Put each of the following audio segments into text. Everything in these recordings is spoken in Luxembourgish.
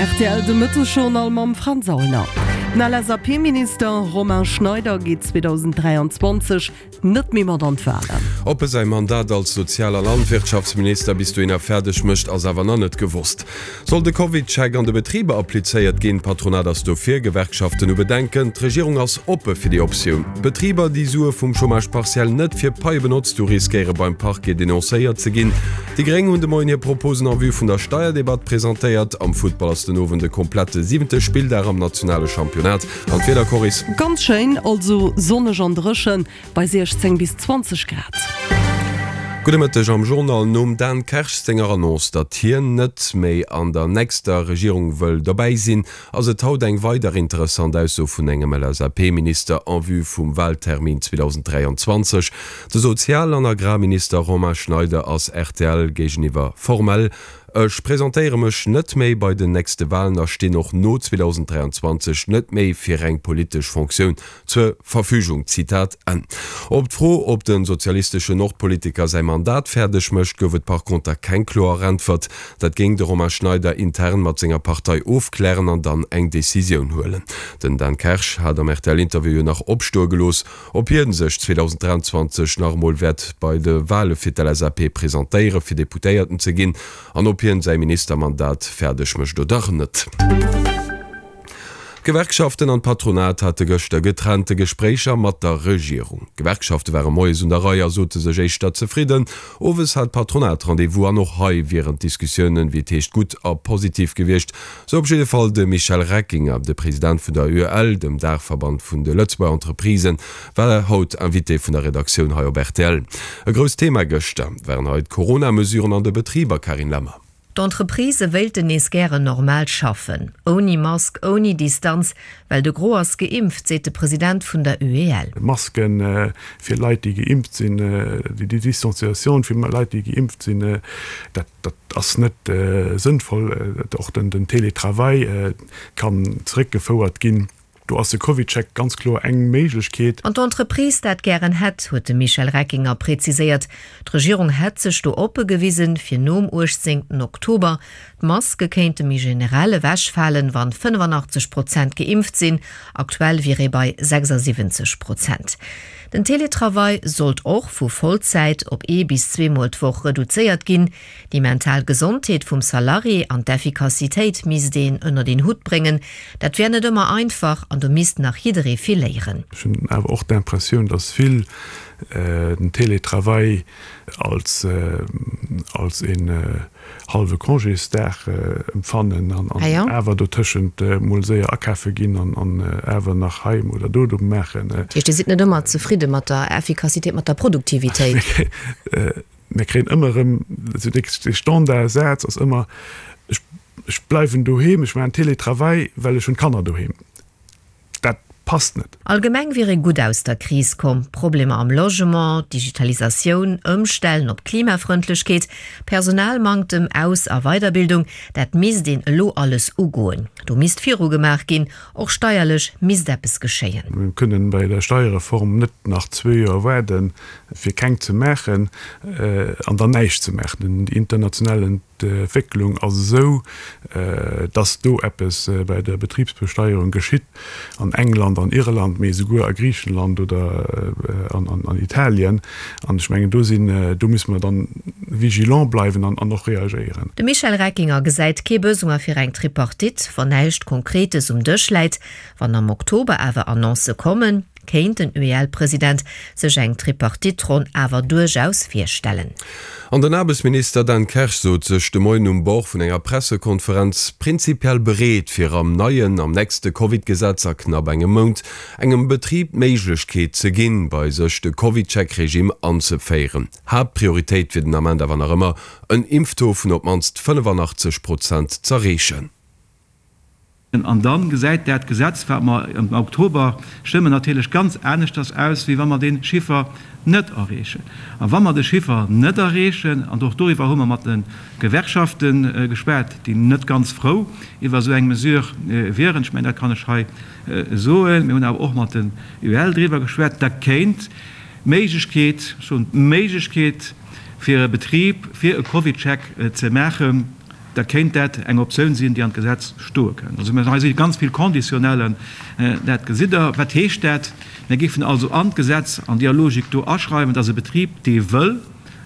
Rtl de Mëttesjournal mam Fränz Aulner. Den LSAP-Minister Romain Schneider geet 2023 net méi mat an d'Walen. Ob e säi Mandat als Sozial a Landwirtschaftsminister bis dohinner fäerdeg mécht, ass awer nach net gewosst. Soll de CovidCheck an de Betriber applizéiert ginn? D'Patronat ass dofir, Gewerkschaften hu Bedenken. D'Regierung ass oppe fir déi Optioun. Betriber, déi Sue vum Chômage partiel net fir Paie benotzt hu, riskéiere beim Parquet denoncéiert ze ginn. Déi Gréng hunn de Moien hir Proposen en vue vun der Steierdebatt presentéiert. Am Futtball ass den Owend e komplette siwente Spilldag am nationale Championnat. An d'Wieder, Coris? Ganz schéin, also sonneg an dréchen bei 16 bis 20 Grad. Gudde Mëtteg am Journal. Nom Dan Kersch senger Annonce, datt hien net méi an der nächster Regierung wëll dobäi sinn, ass et haut eng weider interessant Ausso vun engem LSAP-Minister en vue vum Wahltermin 2023. De Sozial an Agrarminister Romain Schneider ass rtl géigeniwwer formell, Ech presentéiere mech net méi bei den nächste Wahlen a stinn och no 2023 net méi fir eng politesch Fonctioun zur Verfügung. Zitat Enn. Op d'Fro, ob de sozialisteschen Nordpolitiker säi Mandat fäerdeg mécht, gouf et par conter keng kloer Äntwert. Dat géing de Romain Schneider intern mat senger Partei ofklären an dann eng Decisioun huelen. Den Dan Kersch hat am RTL-Interview jo nach opstoe gelooss, ob hie sech 2023 nach emol wäert bei de Wale fir d'LSAP presentéiere fir Deputéierten ze ginn an ob hien säi Ministermandat fäerdeg mécht oder net. D'Gewerkschaften an d'Patronat hate gëschter getrennte Gespréicher mat der Regierung. D'Gewerkschafte ware moies un der Rei a sote sech éischter zefridden. Owes hat d'Patronat Rendez-vous an och hei wieren d'Diskussiounen, wéi et heescht, gutt a positiv gewiescht. Sou op jidde Fall de Michel Reckinger. De President vun der UEL, dem Daachverband vun de Lëtzebuerger Entreprisen, war haut Invité vun der Redaktioun hei op rtl. E grousst Thema gëschter waren hei d'Corona-Mesuren an de Betriber, Carine Lemmer. D'Entreprisë wéilten nees gären normal schaffen, ouni Mask, ouni Distanz, well de Gros ass geimpft, seet de President vun der UEL. Maske fir Leit, déi geimpft sinn, déi Distanciatioun fir Leit, déi geimpft sinn, dat ass net sënnvoll. Och den Télétravail kann zeréckgefouert ginn. Do ass de CovidCheck ganz kloer eng Méiglechkeet. An d'Entreprise dat gären hätt, huet de Michel Reckinger präziséiert. D'Regierung hätt sech do oppe gewisen, fir nom 18 Oktober d'Maske kéinte méi generell ewechfalen, wann 85 Prozent geimpft sinn. Aktuell wier ee bei 76 Prozent. Den Teletravail sollt och vu Vollzäit op ee bis zweemol d'Woch reduzéiert ginn. Déi mental Gesondheet vum Salarié an d'Effikassitéit misst een ënnert een Hutt bréngen. Dat wär net ëmmer einfach an do misst nach jidderee vill léieren. Ech hunn awer och d'Impressioun, datt vill den Télétravail als als een hallwe Congésdag empfannen an awer dotëschent mol séier akafe ginn an awer nach hei oder do do maachen. Dat heescht, Dir sidd net ëmmer zefridde mat der Effikassitéit, mat der Produktivitéit? Mir kréien ëmmer erëm, esou dee Standardsaz ass ëmmer, ech, ech bleiwen doheem, ech maachen Télétravail, well ech hunn d'Kanner doheem. Dat passt net. Allgemeng wier ee gutt aus der Kris komm. Problemer am Logement, Digitalisatioun, Ëmstellen op Klimafrëndlechkeet, Personalmanktem, Aus a Weiderbildung, dat misst een elo alles ugoen. Do misst virugemaach ginn. Och steierlech misst eppes geschéien. Mir kënnen bei der Steierreform net nach zwee Joer waarden, fir keng ze maachen an dann näischt ze maachen. Déi international Entwécklung ass esou, dass do eppes bei der Betribsbesteierung geschitt, an England, an Irland, mee esouguer a Griichenland oder an Italien. An ech mengen, do sinn, do musse mer dann vigilant bleiwen an och reagéieren. De Michel Reckinger gesäit kee Besoin fir eng Tripartite, wann näischt Konkretes um Dësch läit. Wann am Oktober awer Annoncë kommen, kéint den UEL-President sech eng Tripartite-Ronn awer duerchaus virstellen. An den Aarbechtsminister Dan Kersch sot sech de Moien um Bord vun enger Pressekonferenz prinzipiell bereet, fir am neien, am nächste Covid-Gesetz a knapp engem Mount engem Betrib d'Méiglechkeet ze ginn, bei sech de CovidCheck-Regime anzeféieren. Haaptprioritéit wier den Ament awer nach ëmmer, en Impftaux vun op d'mannst 85 Prozent z'erreechen. An da gesäit dat Gesetz, wat mer am Oktober stëmmen, natierlech ganz aneschters aus, wéi wa mer dee Chiffer net erreechen. A wa mer de Chiffer net erreechen, an och doriwwer hu mer mat de Gewerkschafte geschwat, déi net ganz frou iwwer esou eng Mesure wieren, ech mengen, dat kann ech hei soen, mir hunn awer och mat den UEL driwwer geschwat, da kéint d'Méiglechkeet, ech soen d'Méiglechkeet fir e Betrib, fir e CovidCheck ze maachen. Da kéint dat eng Optioun sinn, déi an d'Gesetz stoe kënnt. Also hei si ganz vill Conditionnellen, dat gesitt Der. Wat heescht dat? Mir géifen also an d'Gesetz an deeër Logik do aschreiwen, dass e Betrib, dee wëll,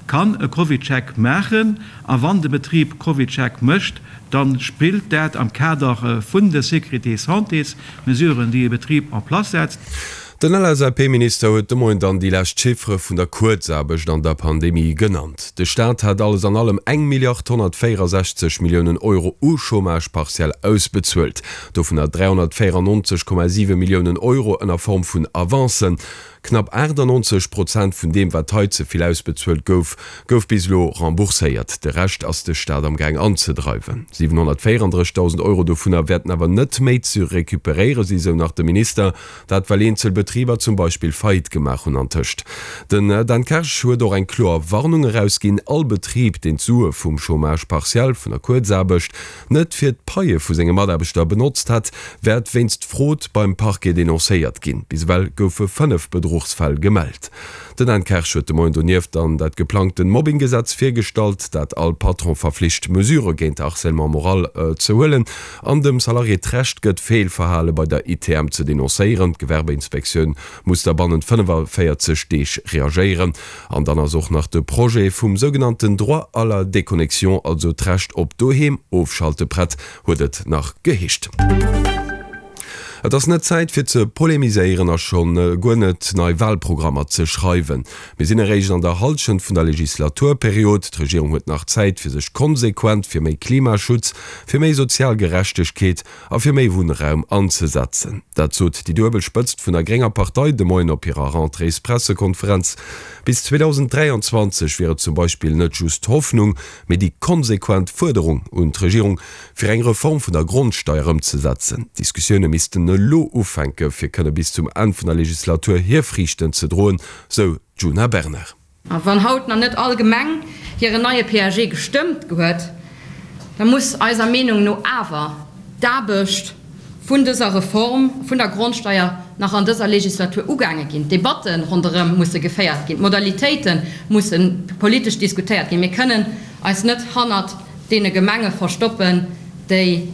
kann e CovidCheck maachen. A wann de Betrib CovidCheck mécht, da spillt dat am Kader vun de Sécurité-santés-Mesuren, déi e Betrib en place setzt. Den LSAP-Minister huet de Moien dann déi lescht Chiffere vun der Kuerzaarbecht an der Pandemie genannt. De Staat hat alles an allem eng Milliard 164 Milliounen Euro u Chômage partiel ausbezuelt, dovunner 394,7 Milliounen Euro ënner Form vun Avancen. Knapp 98 Prozent vun deem, wat hei ze vill ausbezuelt gouf, gouf bis elo rembourséiert. De Rescht ass de Staat am Gaang anzedreiwen. 734.000 Euro dovunner wäerten awer net méi ze recuperéiere si, sou nach de Minister. Dat well eenzel Betriber zum Beispill Faillite gemaach hunn antëscht. Den Dan Kersch huet och eng kloer Warnung erausginn, All Betrib, deen d'Sue vum Chômage partiel, vun der Kuerzaarbecht, net fir d'Paie vu senge Mataarbechter benotzt hätt, wäert wéinst Frod beim Parquet denoncéiert ginn. Bis ewell goufe 5 Bedruchsfäll gemellt. Den Dan Kersch huet de Moien donieft dann dat geplangten Mobbinggesetz virgestallt, dat all Patron verflicht, Mesurë géint Harcèlement moral ze huelen an dem Salarié d'Recht gëtt, Feelverhale bei der ITM ze denoncéieren. D'Gewerbeinspektioun muss da bannent 45 Deeg reagéieren. An dann ass och nach de Projet vum sougenannten Droit à la déconnexion, also d'Recht op doheem ofschalte prett, huet et nach geheescht. Et ass net Zäit fir ze polemiséieren a schonn guer net nei Wahlprogrammer ze schreiwen. Mir sinn eréischt an der Hallschent vun der Legislaturperiod. D'Regierung huet nach Zäit fir sech konsequent fir méi Klimaschutz, fir méi sozial Gerechtegkeet a fir méi Wunnraum anzesetzen. Dat sot déi duebel Spëtzt vun der grénger Partei de Moien op hirer Rentréespressekonferenz. Bis 2023 wier et zum Beispill net just d'Hoffnung, mee déi konsequent Fuerderung un d'Regierung, fir eng Reform vun der Grondsteier ëmzesetzen. D'Diskussioune missten elo ufänke fir kënne bis zum Enn vun der Legislatur hir Friichten ze droen, sou d'Djuna Bernard. A wann haut nach net all Gemeng hiren neie PAG gestëmmt huet, da muss eiser Meenung no awer d'Aarbecht vun dëser Reform vun der Grondsteier nach an dëser Legislatur ugaange ginn. D'Debatte ronderëm musse geféiert ginn, d'Modalitéite musse politesch diskutéiert ginn. Mir kënnen eis net hannert deene Gemenge verstoppen, déi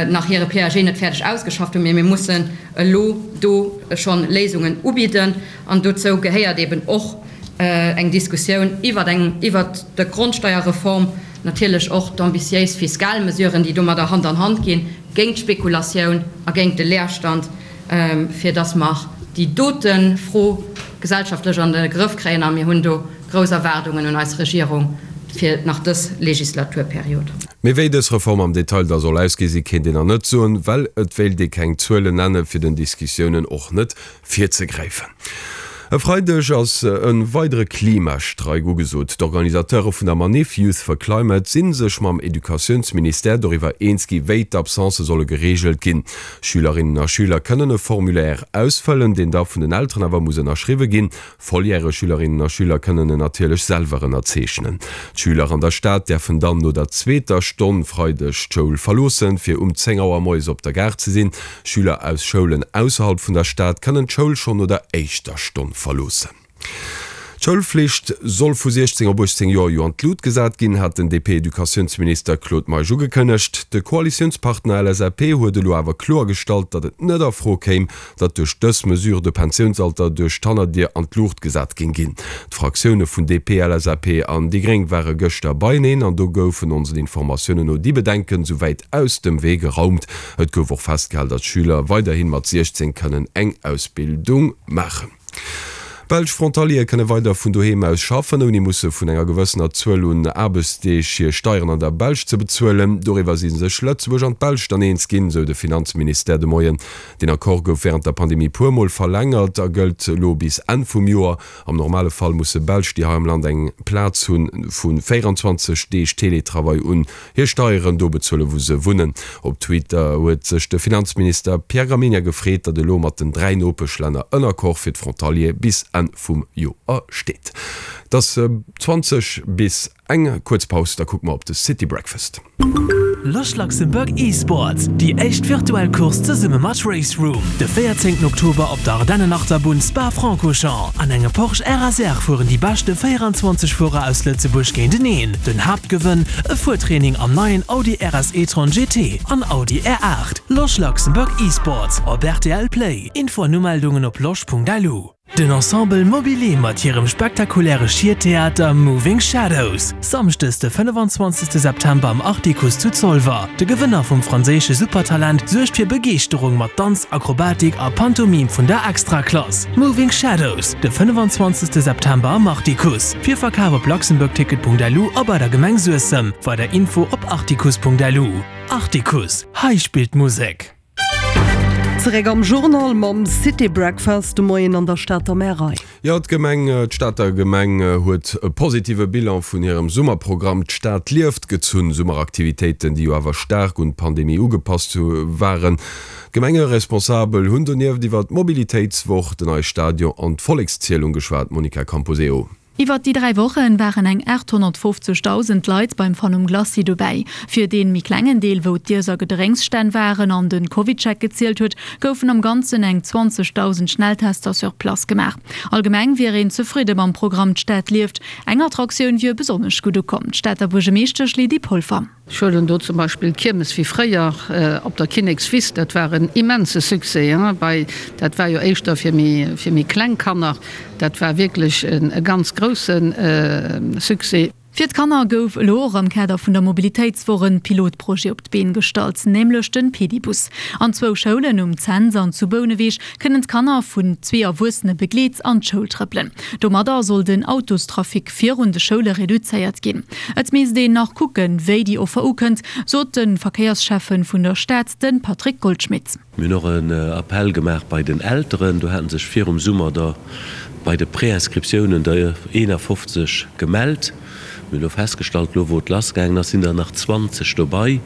nach hire PAG net fäerdeg ausgeschafft hunn, mee mir mussen elo do schonn Léisungen ubidden. An dozou gehéiert eben och eng Diskussioun iwwert eng, iwwert d'Grondsteierreform, natierlech och d'ambitiéis fiskal Mesuren, déi domadder Hand an Hand ginn, géint d'Spekulatioun a géint de Leerstand, fir dass mer déi dote Fro gesellschaftlech an de Grëff kréien. A mir hunn do grouss Erwaardungen un eis Regierung fir nach dës Legislaturperiod. Mee wéi dës Reform am Detail da soll ausgesi kéint een nach net soen, well et wéilt ee keng Zuelen nenne fir den Diskussiounen och net virzegräifen. E Freideg ass e weidere Klimastreik ugesot. D'Organisateure vun der Maniff Youth for Climate si sech mam Educatiounsministère doriwwer eens gi wéi d'Absencë solle gereegelt ginn. Schülerinnen a Schüler kënnen e Formulaire ausfëllen, deen da vun den Elteren awer muss ënnerschriwwe ginn. Volljäreg Schülerinnen a Schüler kënnen en natierlech selwer ënnerzeechnen. D'Schüler an der Stad däerfen dann no der zweeter Stonn Freideg d'Schoul verloossen, fir um 10 Auer moies op der Gare ze sinn. Schüler aus Schoulen ausserhalb vun der Stad kënnen d'Schoul schonn no der éischter Stonn verloossen. D'Schoulflicht soll vu 16 op 18 Joer jo an d'Lut gesat ginn, hat den DP-Educatiounsminister Claude Meisch ugekënnegt. De Koalitiounspartner LSAP huet elo awer kloergestallt, datt et net a Fro kéim, datt duerch dës Mesure de Pensiounsalter duerch d'Hannerdier an d'Luucht gesat géing ginn. D'Fraktioune vun DP, LSAP an déi Gréng ware gëschter beieneen an do goufen onsen Informatiounen no déi Bedenken souwäit aus dem Wee geraumt. Et gouf och festgehal, datt Schüler weiderhi mat 16 kënnen eng Ausbildung maachen. Belsch Frontaliere kënne weider vun doheem aus schaffen, ouni musse vun enger gewëssener Zuel un Aarbechtsdeeg hir Steieren an der Belsch ze bezuelen. Doriwwer si sech Lëtzebuerg an d'Belsch dann eens ginn, sou de Finanzministère de Moien. Deen Accord gouf wärend der Pandemie puer Mol verlängert a gëllt elo bis Enn vum Joer. Am normale Fall musse Belsch, déi hei am Land eng Plaz hunn, vu 24 Deeg Teletravail un hir Steieren do bezuelen, wou se wunnen. Op Twitter huet sech de Finanzminister Pierre Gramegna gefreet, datt elo mat den 3 Nopeschlänner en Accord fir d'Frontaliere bis Enn vum Joer steet. Et ass 20 bis eng. Kuerz Paus, da kucke mer op de City Breakfast. Losch Luxembourg Esports, déi éischt virtuell Course zesumme mat RaceRoom, de 14 Oktober op der Ardennenachterbunn Spa-Francorchamps. An engem Porsche RSR fueren déi beschte 24 Fuerer aus Lëtzebuerg géinteneen. Den Haaptgewënn, e Fuertraining am neien Audi RS e-tron GT an Audi R8. Losch Luxembourg Esports op rtl Play. Info an Umeldungen op losch.lu. Den Ensemble Mobilier mat hirem spektakuläre Schiertheater Moving Shadows, Samschdes de 25 September am Artikuss zu Zolwer. De Gewënner vum franséische Supertalent suergt fir Begeeschterung mat Danz, Akrobatik a Pantomime vun der Extraklass. Moving Shadows, de 25 September am Artikuss. Virverkaf op luxembourgticket.lu a bei der Gemeng Suessem. Weider Info op artikuss.lu. Artikuss, hei spillt d'Musek! Zeréck am Journal mam City Breakfast de Moien an der Stater Märei. Jo, d'Gemeng, d'Stater Gemeng huet e positive Bilan vun hirem Summerprogramm D'Stad lieft gezunn. Summeraktivitéiten, déi jo awer staark un d'Pandemie ugepasst waren. D'Gemengeresponsabel hunn donieft iwwer d'Mobilitéitswoch, den neie Stadion an d'Vollekszielung geschwat. Monica Camposeo. Iwwert déi 3 Wochen waren eng 850.000 Leit beim Fun um Glacis dobäi. Fir deen méi klengen Deel, wou d'Iess a Gedrénksstänn waren an den CovidCheck gezielt huet, goufen am Ganzen eng 20.000 Schnelltester sur place gemaach. Allgemeng wier een zefridde mam Programm D'Stad lieft. Eng Attraktioun wier besonnesch gutt ukomm, d'Stater Buergemeeschtesch Lydie Polfer. Ech huelen do zum Beispill d'Kiermes wéi fréier op der Kinnekswiss, dat war en immense Succès, bei, dat war jo éischter fir méi, fir méi kleng Kanner, dat war wierklech e ganz grousse Succès. Fir d'Kanner gouf elo och am Kader vun der Mobilitéitswoch en Pilotprojet op d'Been gestallt, nämlech den Pedibus. An zwou Schoulen, um Cents an zu Bouneweg, kënnen d'Kanner vun zwee Erwuessene begleet an d'Schoul trëppelen. Domadder soll den Autostrafic virun de Schoule reduzéiert ginn. Et misst een nach kucken, wéi déi Offer ukënnt, sot de Verkéiersschäffe vun der Stad, de Patrick Goldschmidt. Mir hunn och en Appell gemaach bei den Elteren. Do hate sech virum Summer der bei de Préinscriptiounen der 51 gemellt. Mir hunn elo festgestallt, elo wou et lassgaangen ass, sinn der nach 20 dobei.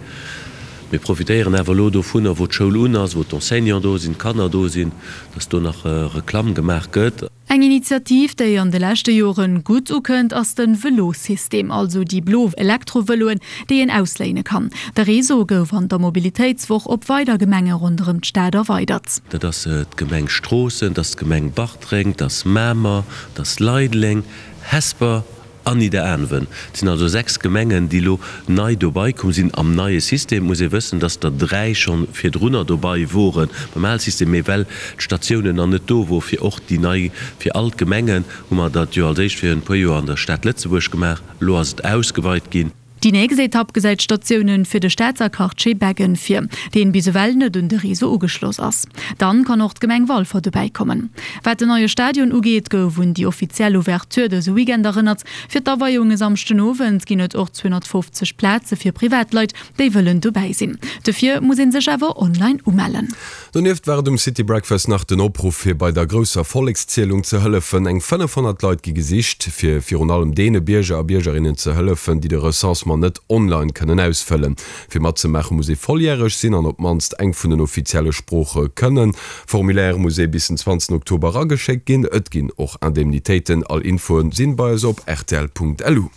Mir profitéieren awer elo dovunner, wou d'Schoul un ass, wou d'Enseignants do sinn, d'Kanner do sinn, dass do nach Reklamm gemaach gëtt. Eng Initiativ, déi an de leschte Joren gutt ukënnt, ass de Velosystem, also déi blo Elektrovëloen, déi een ausléine kann. De Réseau gouf an der Mobilitéitswoch op weider Gemenge ronderëm d'Stad erweidert. Dat ass d'Gemeng Stroossen, dat ass d'Gemeng Bartreng, dat ass Mamer, dat ass Leideleng, Hesper An Nidderaanwen. Et sinn also 6 Gemengen, déi elo nei dobai komm sinn am neie System. Et muss ee wëssen, dass der 3 scho virdrunner dobai wore beim ale System, mee well d'Statiounen nach net do wor fir och déi nei, fir all d'Gemengen, hu mer dat jo als éischt fir en puer Joer an der Stad Lëtzebuerg gemaach. Elo ass et ausgeweit ginn. Déi nächst Etapp gesäit Statiounen fir de Stater Quartier Beggen vir, deen bis ewell net un de Réseau ugeschloss ass. Dann kann och d'Gemeng Walfer dobäi kommen. Wat den neie Stadion ugeet, gouf un déi offiziell Ouverture dëse Weekend erënnert. Fir d'Aweiung e Samschden Owend ginn et och 250 Plaze fir Privatleit, déi wëllen dobäi sinn. Dofir muss ee sech awer online umellen. Donieft war et um City Breakfast nach den Opruff, fir bei der grousser Vollekszielung ze hëllefen. Eng 500 Leit gi gesicht, fir virun allem deene Bierger a Biergerinnen ze hëllefen, déi de Recensement net online kënnen ausfëllen. Fir matzemaache muss ee volljäreg sinn an op d'mannst eng vun den offizielle Sprooche kënnen. Formulaire muss ee bis den 20 Oktober erageschéckt ginn. Et ginn och Indemnitéiten. All Infoe sinn bei eis op rtl.lu.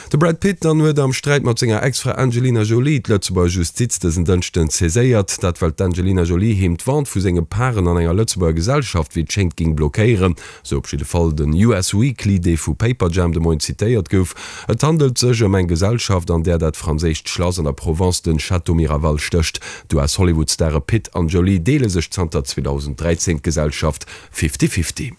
De Brad Pitt dann huet am Sträit mat senger Ex-Fra Angelina Jolie d'Lëtzebuerger Justiz dësen Dënschden saiséiert. Dat well d'Angelina Jolie him d'Vente vu senge Paren an enger Lëtzebuerger Gesellschaft wéi et schéngt géing blockéieren. Sou op jidde Fall den US Weekly, dee vu Paperjam de Moien zitéiert gouf. Et handelt sech ëm eng Gesellschaft an där dat franséischt Schlass an der Provence, den Château Miraval stécht. D'US-Hollywood-Stare Pitt an Jolie deele sech zanter 2013 d'Gesellschaft Fifty-Fifty.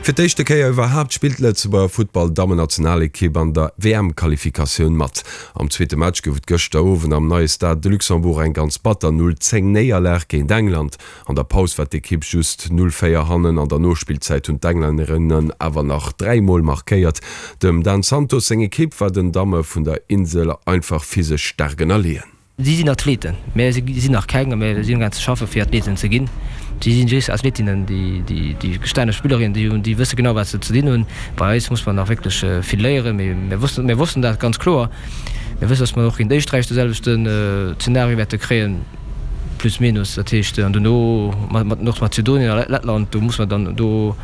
Fir d'éischte Kéier iwwerhaapt spillt d'Lëtzebuerger Futtball-Dammennationalekipp an der WM-Qualifikatioun mat. Am zweete Match gouf et gëschter Owend am neie Stade de Luxembourg eng ganz batter 0, 10 Néierlag géint England. An der Paus war d'Ekipp just 0, 4 hannen. An der Nospillzäit hunn d'Englännerinnen awer nach 3 Mol markéiert. Dem Dan Santos seng Ekipp war den Damme vun der Insel einfach physesch staark ënnerleeën. Si sinn Athleten, mä si sinn nach keng, a mir sinn amgaang ze schaffen, fir Athleten ze ginn. Si sinn just Athletinnen, déi gestaane Spillerinnen, déi hunn, déi wësse genau, wat se ze dinn hunn. Bei eis muss mer nach wierklech vill léieren, mee mir wossten, mir wossten dat ganz kloer. Mir wëssen, datt mer och géint Éisträich de selwechten Zeenario wäerte kréien, plus minus. Dat heescht, an dono mat Nordmazedonien a Lettland, do muss mer dann do.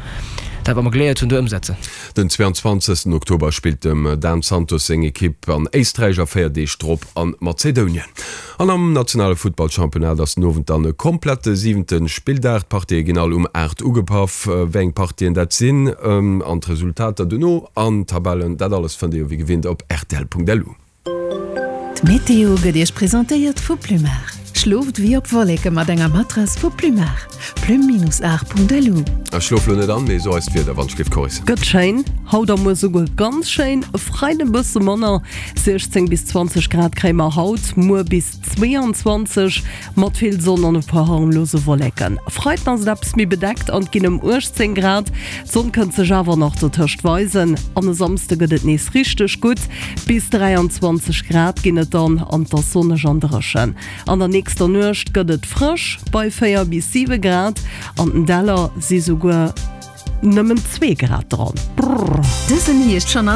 Dat wat mer geléiert hunn do ëmsetzen. Den 22 Oktober spillt dem Dan Santos seng Ekipp an Éisträich a 4 Deeg drop an Mazedounien. An am nationale Futtballchampionnat ass den Owend dann e komplette siwente Spilldag. D'Partië ginn all um 8 ugepaff. Wéi eng Partien dat sinn an d'Resultater dono an d'Tabellen, dat alles fënnt Dir jo wéi gewinnt op rtl.lu. D'Meteo gëtt Iech presentéiert vu Plumar. Schlooft wéi op Wolleke mat enger Matrass vu Plumar. Plum-art.lu. Ech schlof lo net an, mee so eis d'Wieder wann ech géif Coris. Gëtt schéin, haut a muer souguer ganz schéin, e Freiden e bësse manner, 16 bis 20 Grad kréie mer haut, muer bis 22 mat vill Sonn an e puer harmlose Wolleken. E Freiden ass et eppes méi bedeckt an et ginn ëm 18 Grad. D'Sonn kënnt sech awer nach dotëscht weisen an e Samsde gëtt et nees richteg gutt, bis 23 Grad ginn et dann an et ass sonneg an dréchen. An der nächster Nuecht gëtt et frësch bei 4 bis 7 Grad, an den Däller si souguer nëmmen 2 Grad dran. Brrr. Dësen Hierscht schonn.